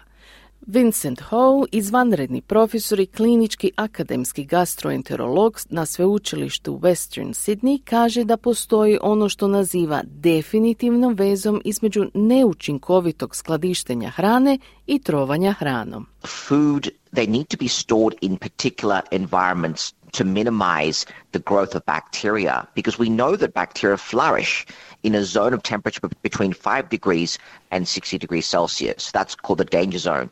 Vincent Ho, izvanredni profesor i klinički akademski gastroenterolog na sveučilištu Western Sydney, kaže da postoji ono što naziva definitivnom vezom između neučinkovitog skladištenja hrane i trovanja hranom. Food, they need to be stored in particular environments to minimize the growth of bacteria, because we know that bacteria flourish in a zone of temperature between five degrees and sixty degrees Celsius. That's called the danger zone.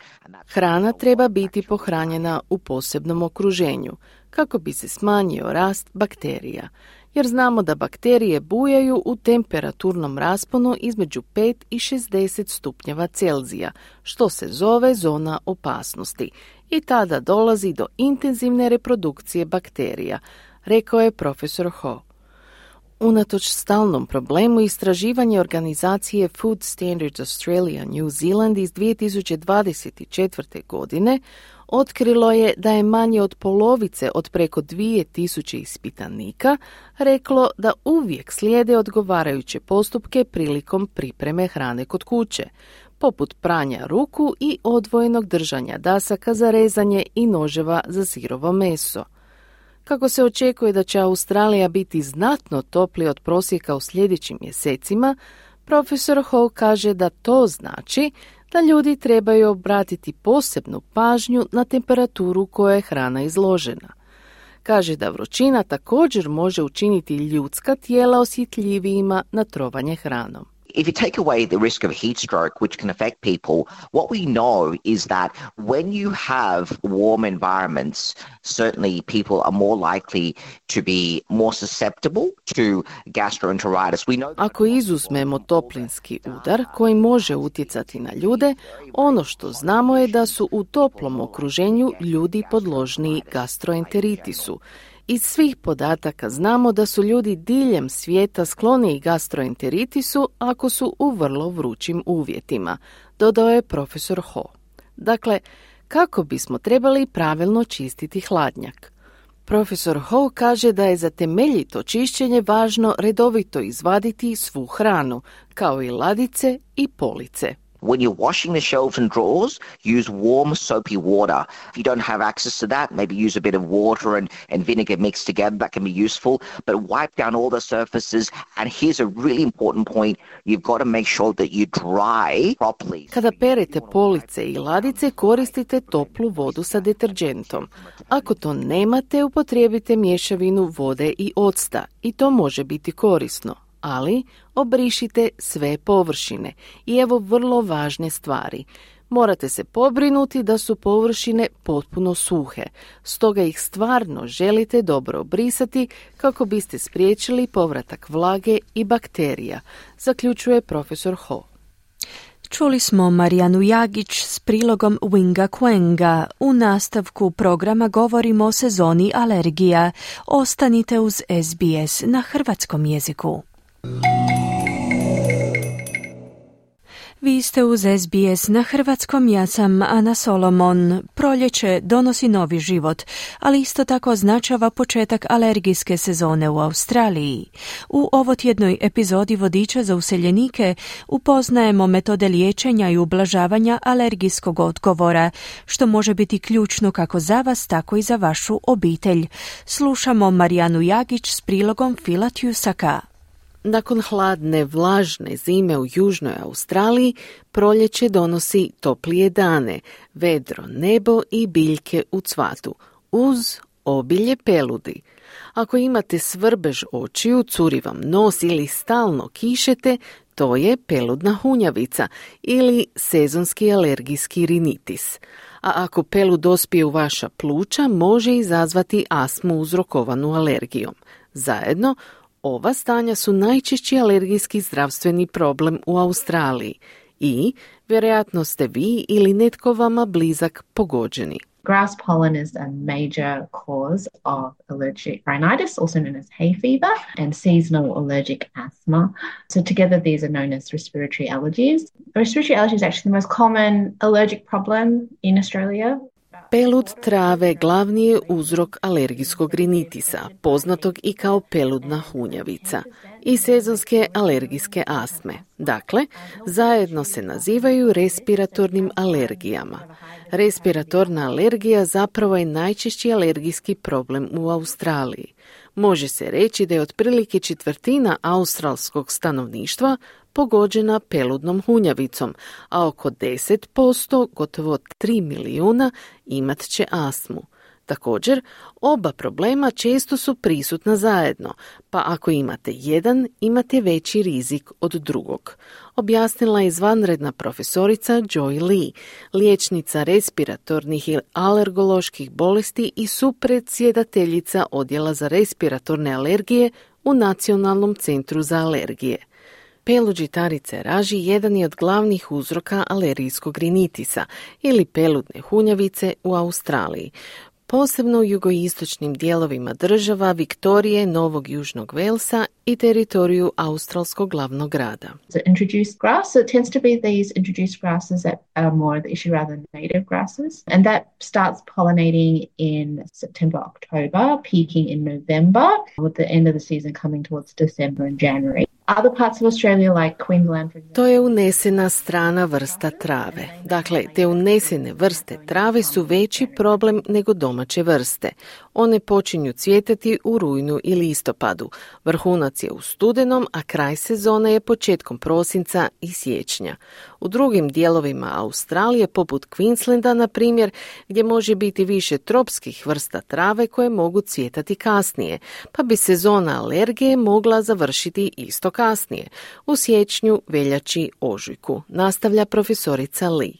Hrana treba biti pohranjena u posebnom okruženju kako bi se smanjio rast bakterija, jer znamo da bakterije bujaju u temperaturnom rasponu između pet i šezdeset stupnjeva Celzija, što se zove zona opasnosti, i tada dolazi do intenzivne reprodukcije bakterija, rekao je profesor Ho. Unatoč stalnom problemu, istraživanje organizacije Food Standards Australia New Zealand iz dvije tisuće dvadeset četvrte. godine otkrilo je da je manje od polovice od preko dvije tisuće ispitanika reklo da uvijek slijede odgovarajuće postupke prilikom pripreme hrane kod kuće, poput pranja ruku i odvojenog držanja dasaka za rezanje i noževa za sirovo meso. Kako se očekuje da će Australija biti znatno toplija od prosjeka u sljedećim mjesecima, profesor Ho kaže da to znači da ljudi trebaju obratiti posebnu pažnju na temperaturu kojoj je hrana izložena. Kaže da vrućina također može učiniti ljudska tijela osjetljivijima na trovanje hranom. If you take away the risk of heat stroke, which can affect people, what we know is that when you have warm environments, certainly people are more likely to be more susceptible to gastroenteritis. We know Ako izuzmemo toplinski udar koji može utjecati na ljude, ono što znamo je da su u toplom okruženju ljudi podložniji gastroenteritisu. Iz svih podataka znamo da su ljudi diljem svijeta skloniji gastroenteritisu ako su u vrlo vrućim uvjetima, dodao je profesor Ho. Dakle, kako bismo trebali pravilno čistiti hladnjak? Profesor Ho kaže da je za temeljito čišćenje važno redovito izvaditi svu hranu, kao i ladice i police. when you're washing the shelves and drawers, use warm soapy water. If you don't have access to that, maybe use a bit of water and, and vinegar mixed together. That can be useful. But wipe down all the surfaces. And here's a really important point. You've got to make sure that you dry properly. Kada perete police i ladice, koristite toplu vodu sa deterđentom. Ako to nemate, upotrijebite mješavinu vode i octa i to može biti korisno. Ali obrišite sve površine. I evo vrlo važne stvari. Morate se pobrinuti da su površine potpuno suhe. Stoga ih stvarno želite dobro obrisati kako biste spriječili povratak vlage i bakterija, zaključuje profesor Ho. Čuli smo Marijanu Jagić s prilogom Winga Quenga. U nastavku programa govorimo o sezoni alergija. Ostanite uz S B S na hrvatskom jeziku. Vi ste uz S B S na hrvatskom, ja sam Ana Solomon. Proljeće donosi novi život, ali isto tako označava početak alergijske sezone u Australiji. U ovotjednoj epizodi Vodiča za useljenike upoznajemo metode liječenja i ublažavanja alergijskog odgovora, što može biti ključno kako za vas, tako i za vašu obitelj. Slušamo Marijanu Jagić s prilogom Fila Tjusaka. Nakon hladne, vlažne zime u južnoj Australiji, proljeće donosi toplije dane, vedro nebo i biljke u cvatu, uz obilje peludi. Ako imate svrbež očiju, curi vam nos ili stalno kišete, to je peludna hunjavica ili sezonski alergijski rinitis. A ako pelud dospije u vaša pluća, može izazvati astmu uzrokovanu alergijom. Zajedno, ova stanja su najčešći alergijski zdravstveni problem u Australiji i vjerojatno ste vi ili netko vama blizak pogođeni. Grass pollen is a major cause of allergic rhinitis, also known as hay fever, and seasonal allergic asthma. So together these are known as respiratory allergies. Respiratory allergy is actually the most common allergic problem in Australia. Pelud trave glavni je uzrok alergijskog rinitisa, poznatog i kao peludna hunjavica, i sezonske alergijske astme. Dakle, zajedno se nazivaju respiratornim alergijama. Respiratorna alergija zapravo je najčešći alergijski problem u Australiji. Može se reći da je otprilike četvrtina australskog stanovništva pogođena peludnom hunjavicom, a oko deset posto, gotovo tri milijuna, imat će astmu. Također, oba problema često su prisutna zajedno, pa ako imate jedan, imate veći rizik od drugog. Objasnila je izvanredna profesorica Joy Lee, liječnica respiratornih i alergoloških bolesti i supredsjedateljica Odjela za respiratorne alergije u Nacionalnom centru za alergije. Pelud žitarice raži jedan je od glavnih uzroka alergijskog rinitisa ili peludne hunjavice u Australiji, posebno u jugoistočnim dijelovima država Viktorije, Novog Južnog Velsa i teritoriju australskog glavnog grada. So introduced grass, so it tends to be these introduced grasses that are more the issue rather than native grasses. And that starts pollinating in September, October, peaking in November, with the end of the season coming towards December and January. Other parts of Australia like Queensland, for example. To je unesena strana vrsta trave. Dakle, te unesene vrste trave su veći problem nego domaće vrste. One počinju cvjetati u rujnu i listopadu. Vrhunac je u studenom, a kraj sezone je početkom prosinca i siječnja. U drugim dijelovima Australije, poput Queenslanda, na primjer, gdje može biti više tropskih vrsta trave koje mogu cvjetati kasnije, pa bi sezona alergije mogla završiti isto kasnije, u siječnju, veljači, ožujku, nastavlja profesorica Lee.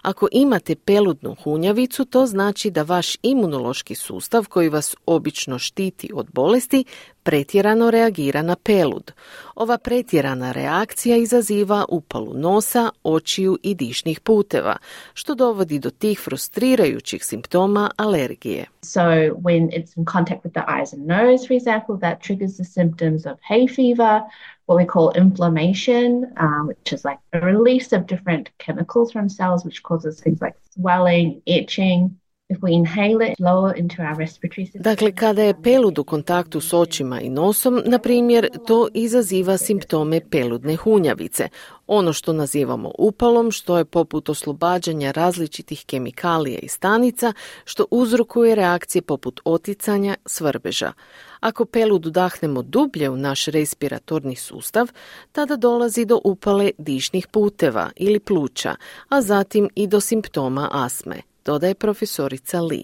Ako imate peludnu hunjavicu, to znači da vaš imunološki sustav koji vas obično štiti od bolesti pretjerano reagira na pelud. Ova pretjerana reakcija izaziva upalu nosa, očiju i dišnih puteva, što dovodi do tih frustrirajućih simptoma alergije. So when it's in contact with the eyes and nose, for example, that triggers the symptoms of hay fever, what we call inflammation, um, which is like a release of different chemicals from cells, which causes things like swelling, itching. If we inhale it lower into our respiratory system. Dakle, kada je pelud u kontaktu s očima i nosom, na primjer, to izaziva simptome peludne hunjavice, ono što nazivamo upalom, što je poput oslobađanja različitih kemikalija i stanica, što uzrokuje reakcije poput oticanja, svrbeža. Ako pelud udahnemo dublje u naš respiratorni sustav, tada dolazi do upale dišnih puteva ili pluća, a zatim i do simptoma astme, dodaje profesorica Lee.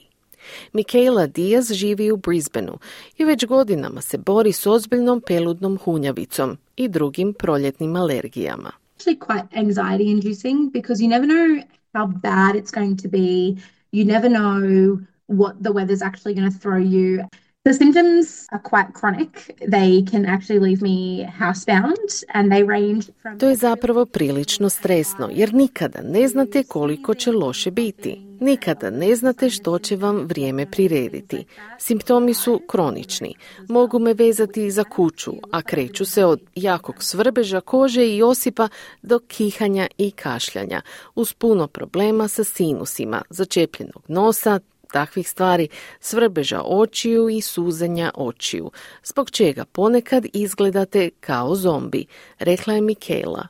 Michaela Diaz živi u Brisbaneu i već godinama se bori s ozbiljnom peludnom hunjavicom i drugim proljetnim alergijama. Actually quite anxiety inducing because you never know how bad it's going to be. You never know what the weather's actually going to throw you. The symptoms are quite chronic. They can actually leave me housebound and they range from... To je zapravo prilično stresno, jer nikada ne znate koliko će loše biti. Nikada ne znate što će vam vrijeme prirediti. Simptomi su kronični. Mogu me vezati za kuću, a kreću se od jakog svrbeža kože i osipa do kihanja i kašljanja, uz puno problema sa sinusima, začepljenog nosa, takvih stvari, svrbeža očiju i suzenja očiju, zbog čega ponekad izgledate kao zombi, rekla je Michaela.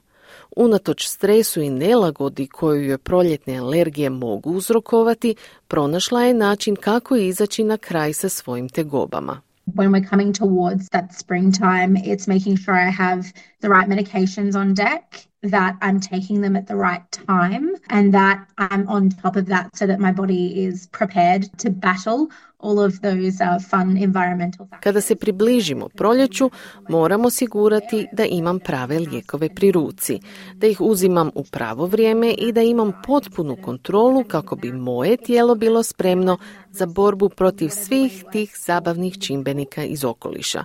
Unatoč stresu i nelagodi koju joj proljetne alergije mogu uzrokovati, pronašla je način kako izaći na kraj sa svojim tegobama. When we're coming towards that springtime, it's making sure I have the right medications on deck, that I'm taking them at the right time, and that I'm on top of that so that my body is prepared to battle all of those uh, fun environmental factors. Kada se približimo proljeću, moramo osigurati da imam prave lijekove pri ruci, da ih uzimam u pravo vrijeme i da imam potpunu kontrolu kako bi moje tijelo bilo spremno za borbu protiv svih tih zabavnih čimbenika iz okoliša.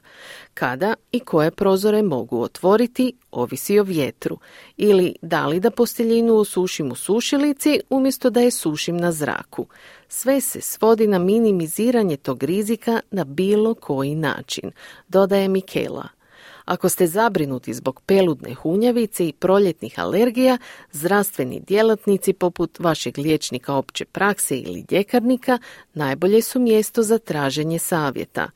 Kada i koje prozore mogu otvoriti, ovisi o vjetru, ili da li da posteljinu osušim u sušilici umjesto da je sušim na zraku. Sve se svodi na minimiziranje tog rizika na bilo koji način, dodaje Michaela. Ako ste zabrinuti zbog peludne hunjavice i proljetnih alergija, zdravstveni djelatnici poput vašeg liječnika opće prakse ili ljekarnika najbolje su mjesto za traženje savjeta.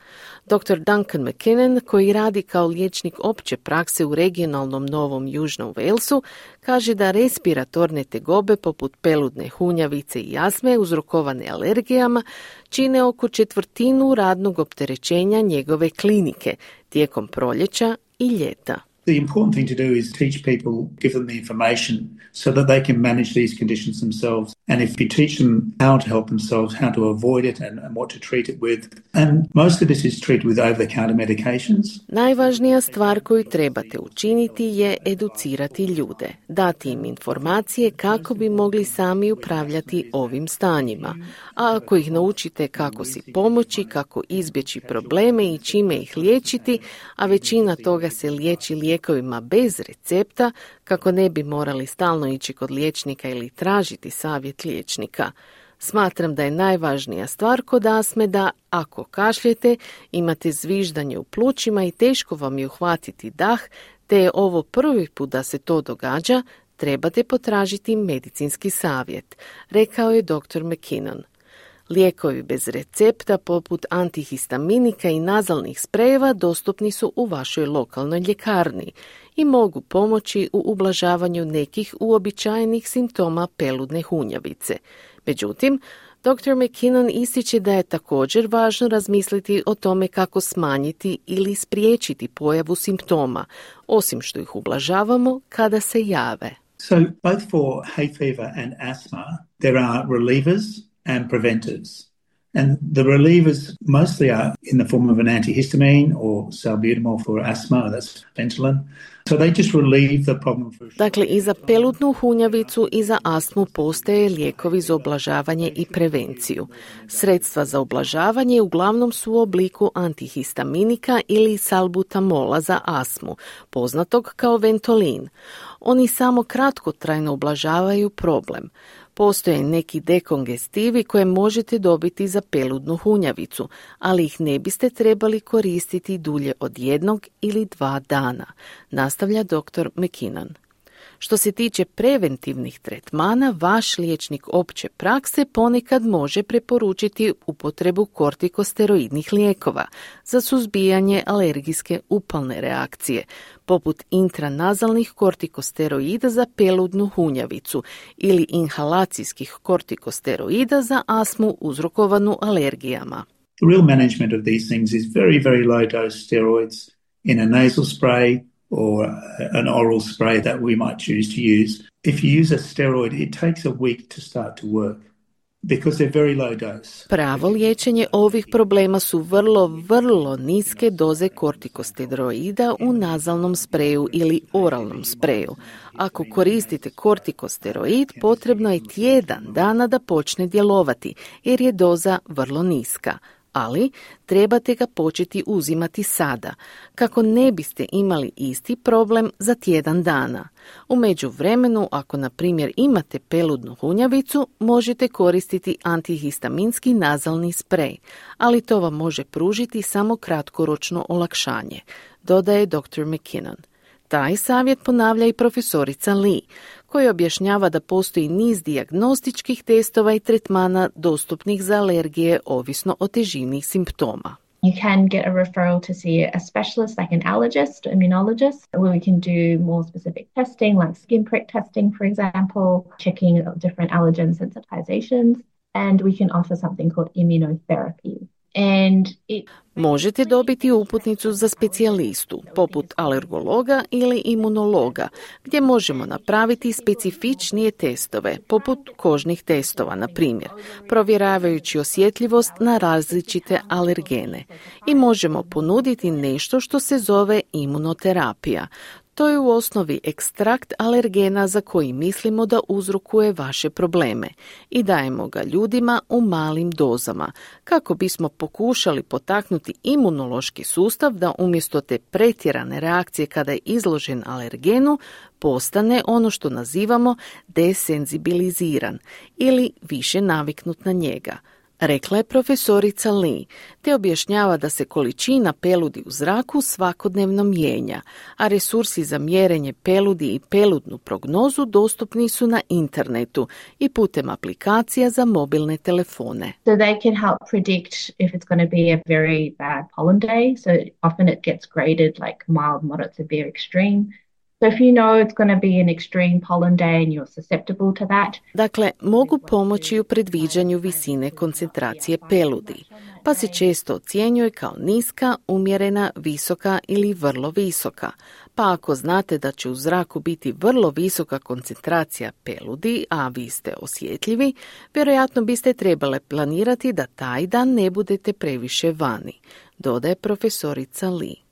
doktor Duncan McKinnon, koji radi kao liječnik opće prakse u regionalnom Novom Južnom Walesu, kaže da respiratorne tegobe poput peludne hunjavice i astme uzrokovane alergijama čine oko četvrtinu radnog opterećenja njegove klinike tijekom proljeća i ljeta. The important thing to do is teach people, give them the information so that they can manage these conditions themselves. And if you teach them how to help themselves, how to avoid it and, and what to treat it with. And most of this is treated with over-the-counter medications. Najvažnija stvar koju trebate učiniti je educirati ljude, dati im informacije kako bi mogli sami upravljati ovim stanjima. A ako ih naučite kako si pomoći, kako izbjeći probleme i čime ih liječiti, a većina toga se liječi lijekovima bez recepta, kako ne bi morali stalno ići kod liječnika ili tražiti savjet liječnika. Smatram da je najvažnija stvar kod astme da, ako kašljete, imate zviždanje u plućima i teško vam je uhvatiti dah, te je ovo prvi put da se to događa, trebate potražiti medicinski savjet, rekao je doktor McKinnon. Lijekovi bez recepta poput antihistaminika i nazalnih sprejeva dostupni su u vašoj lokalnoj ljekarni i mogu pomoći u ublažavanju nekih uobičajenih simptoma peludne hunjavice. Međutim, doktor McKinnon ističe da je također važno razmisliti o tome kako smanjiti ili spriječiti pojavu simptoma, osim što ih ublažavamo kada se jave. So both for hay fever and asthma, there are relievers and preventers. And the relievers mostly are in the form of an antihistamine or salbutamol for asthma, that's Ventolin. So they just relieve the problem for... Dakle, i za peludnu hunjavicu i za astmu postoje lijekovi za ublažavanje i prevenciju. Sredstva za ublažavanje uglavnom su u obliku antihistaminika ili salbutamola za astmu, poznatog kao Ventolin. Oni samo kratkotrajno ublažavaju problem. Postoje neki dekongestivi koje možete dobiti za peludnu hunjavicu, ali ih ne biste trebali koristiti dulje od jednog ili dva dana, nastavlja doktor McKinnon. Što se tiče preventivnih tretmana, vaš liječnik opće prakse ponekad može preporučiti upotrebu kortikosteroidnih lijekova za suzbijanje alergijske upalne reakcije, poput intranazalnih kortikosteroida za peludnu hunjavicu ili inhalacijskih kortikosteroida za astmu uzrokovanu alergijama. The real management of these things is very, very low dose steroids in a nasal spray or an oral spray that we might choose to use. If you use a steroid, it takes a week to start to work because they're very low dose. Pravo liječenje ovih problema su vrlo, vrlo niske doze kortikosteroida u nazalnom spreju ili oralnom spreju. Ako koristite kortikosteroid, potrebno je tjedan dana da počne djelovati, jer je doza vrlo niska. Ali trebate ga početi uzimati sada, kako ne biste imali isti problem za tjedan dana. U međuvremenu, ako na primjer imate peludnu hunjavicu, možete koristiti antihistaminski nazalni sprej, ali to vam može pružiti samo kratkoročno olakšanje, dodaje doktor McKinnon. Taj savjet ponavlja i profesorica Lee, koji objašnjava da postoji niz dijagnostičkih testova i tretmana dostupnih za alergije ovisno o težini simptoma. You can get a referral to see a specialist like an allergist, immunologist, where we can do more specific testing like skin prick testing, for example, checking different allergen sensitizations, and we can offer something called immunotherapy. And it Možete dobiti uputnicu za specijalistu, poput alergologa ili imunologa, gdje možemo napraviti specifičnije testove, poput kožnih testova, na primjer, provjeravajući osjetljivost na različite alergene. I možemo ponuditi nešto što se zove imunoterapija. To je u osnovi ekstrakt alergena za koji mislimo da uzrokuje vaše probleme i dajemo ga ljudima u malim dozama, kako bismo pokušali potaknuti imunološki sustav da umjesto te pretjerane reakcije kada je izložen alergenu, postane ono što nazivamo desenzibiliziran ili više naviknut na njega, rekla je profesorica Lee, te objašnjava da se količina peludi u zraku svakodnevno mijenja, a resursi za mjerenje peludi i peludnu prognozu dostupni su na internetu i putem aplikacija za mobilne telefone. So they can help predict if it's going to be a very bad pollen day. So often it gets graded like mild, moderate, severe, extreme. So if you know it's going to be an extreme pollen day and you're susceptible to that. Dakle, mogu pomoći u predviđanju visine koncentracije peludi, pa se često ocjenjuje kao niska, umjerena, visoka ili vrlo visoka. Pa ako znate da će u zraku biti vrlo visoka koncentracija peludi, a vi ste osjetljivi, vjerojatno biste trebale planirati da taj dan ne budete previše vani, dodaje profesorica Lee.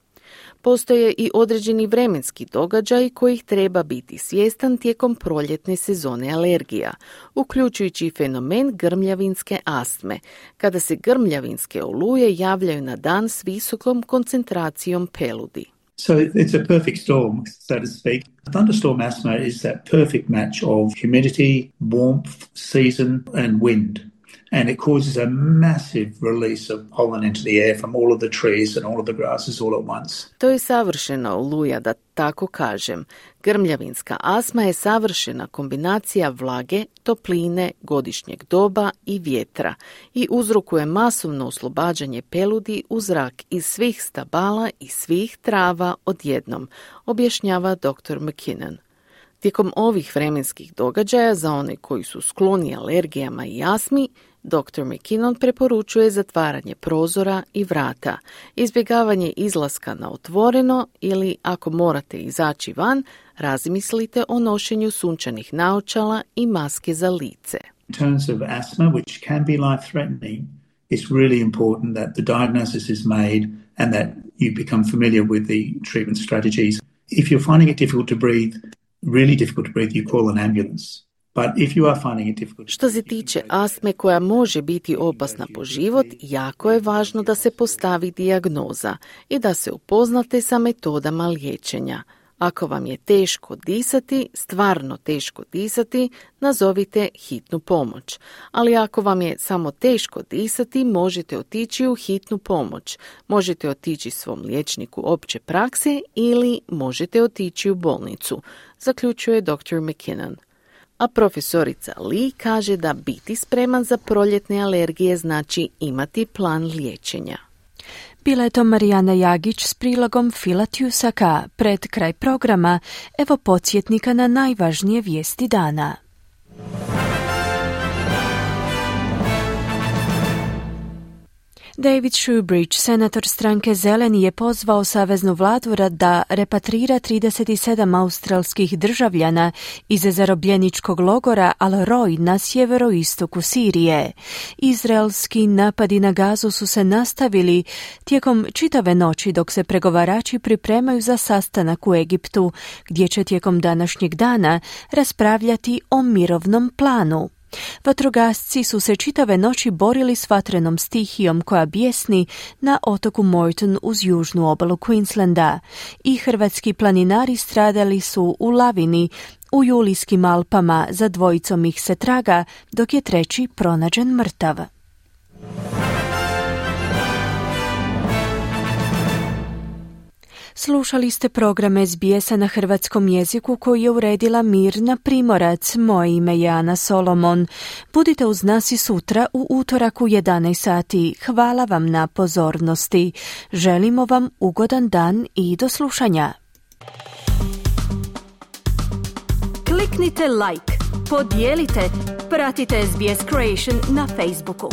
Postoje i određeni vremenski događaj kojih treba biti svjestan tijekom proljetne sezone alergija, uključujući i fenomen grmljavinske astme, kada se grmljavinske oluje javljaju na dan s visokom koncentracijom peludi. So it's a perfect storm, so to speak. Thunderstorm asthma is that perfect match of humidity, warmth, season and wind. And it causes a massive release of pollen into the air from all of the trees and all of the grasses all at once. To je savršena oluja, da tako kažem. Grmljavinska astma je savršena kombinacija vlage, topline, godišnjeg doba i vjetra i uzrokuje masovno oslobađanje peludi u zrak iz svih stabala i svih trava odjednom, objašnjava doktor McKinnon. Tijekom ovih vremenskih događaja za one koji su skloni alergijama i astmi, doktor McKinnon preporučuje zatvaranje prozora i vrata, izbjegavanje izlaska na otvoreno ili, ako morate izaći van, razmislite o nošenju sunčanih naočala i maske za lice. In terms of asthma, which can be life-threatening, it's really important that the diagnosis is made and that you become familiar with the treatment strategies. If you're finding it difficult to breathe, really difficult to breathe, you call an ambulance. But if you are finding it difficult... Što se tiče astme koja može biti opasna po život, jako je važno da se postavi dijagnoza i da se upoznate sa metodama liječenja. Ako vam je teško disati, stvarno teško disati, nazovite hitnu pomoć. Ali ako vam je samo teško disati, možete otići u hitnu pomoć. Možete otići svom liječniku opće prakse ili možete otići u bolnicu, zaključuje doktor McKinnon. A profesorica Lee kaže da biti spreman za proljetne alergije znači imati plan liječenja. Bila je to Marijana Jagić s prilogom Fila Tjusaka. Pred kraj programa, evo podsjetnika na najvažnije vijesti dana. David Shoebridge, senator stranke Zeleni, je pozvao saveznu vladu da repatrira trideset sedam australskih državljana iz zarobljeničkog logora Al-Roj na sjeveroistoku Sirije. Izraelski napadi na Gazu su se nastavili tijekom čitave noći dok se pregovarači pripremaju za sastanak u Egiptu, gdje će tijekom današnjeg dana raspravljati o mirovnom planu. Vatrogasci su se čitave noći borili s vatrenom stihijom koja bijesni na otoku Moreton uz južnu obalu Queenslanda i hrvatski planinari stradali su u lavini u Julijskim Alpama, za dvojicom ih se traga, dok je treći pronađen mrtav. Slušali ste program S B S-a na hrvatskom jeziku koji je uredila Mirna Primorac. Moje ime je Ana Solomon. Budite uz nas i sutra u utorak u jedanaest sati. Hvala vam na pozornosti. Želimo vam ugodan dan i do slušanja. Kliknite like, podijelite, pratite S B S Creation na Facebooku.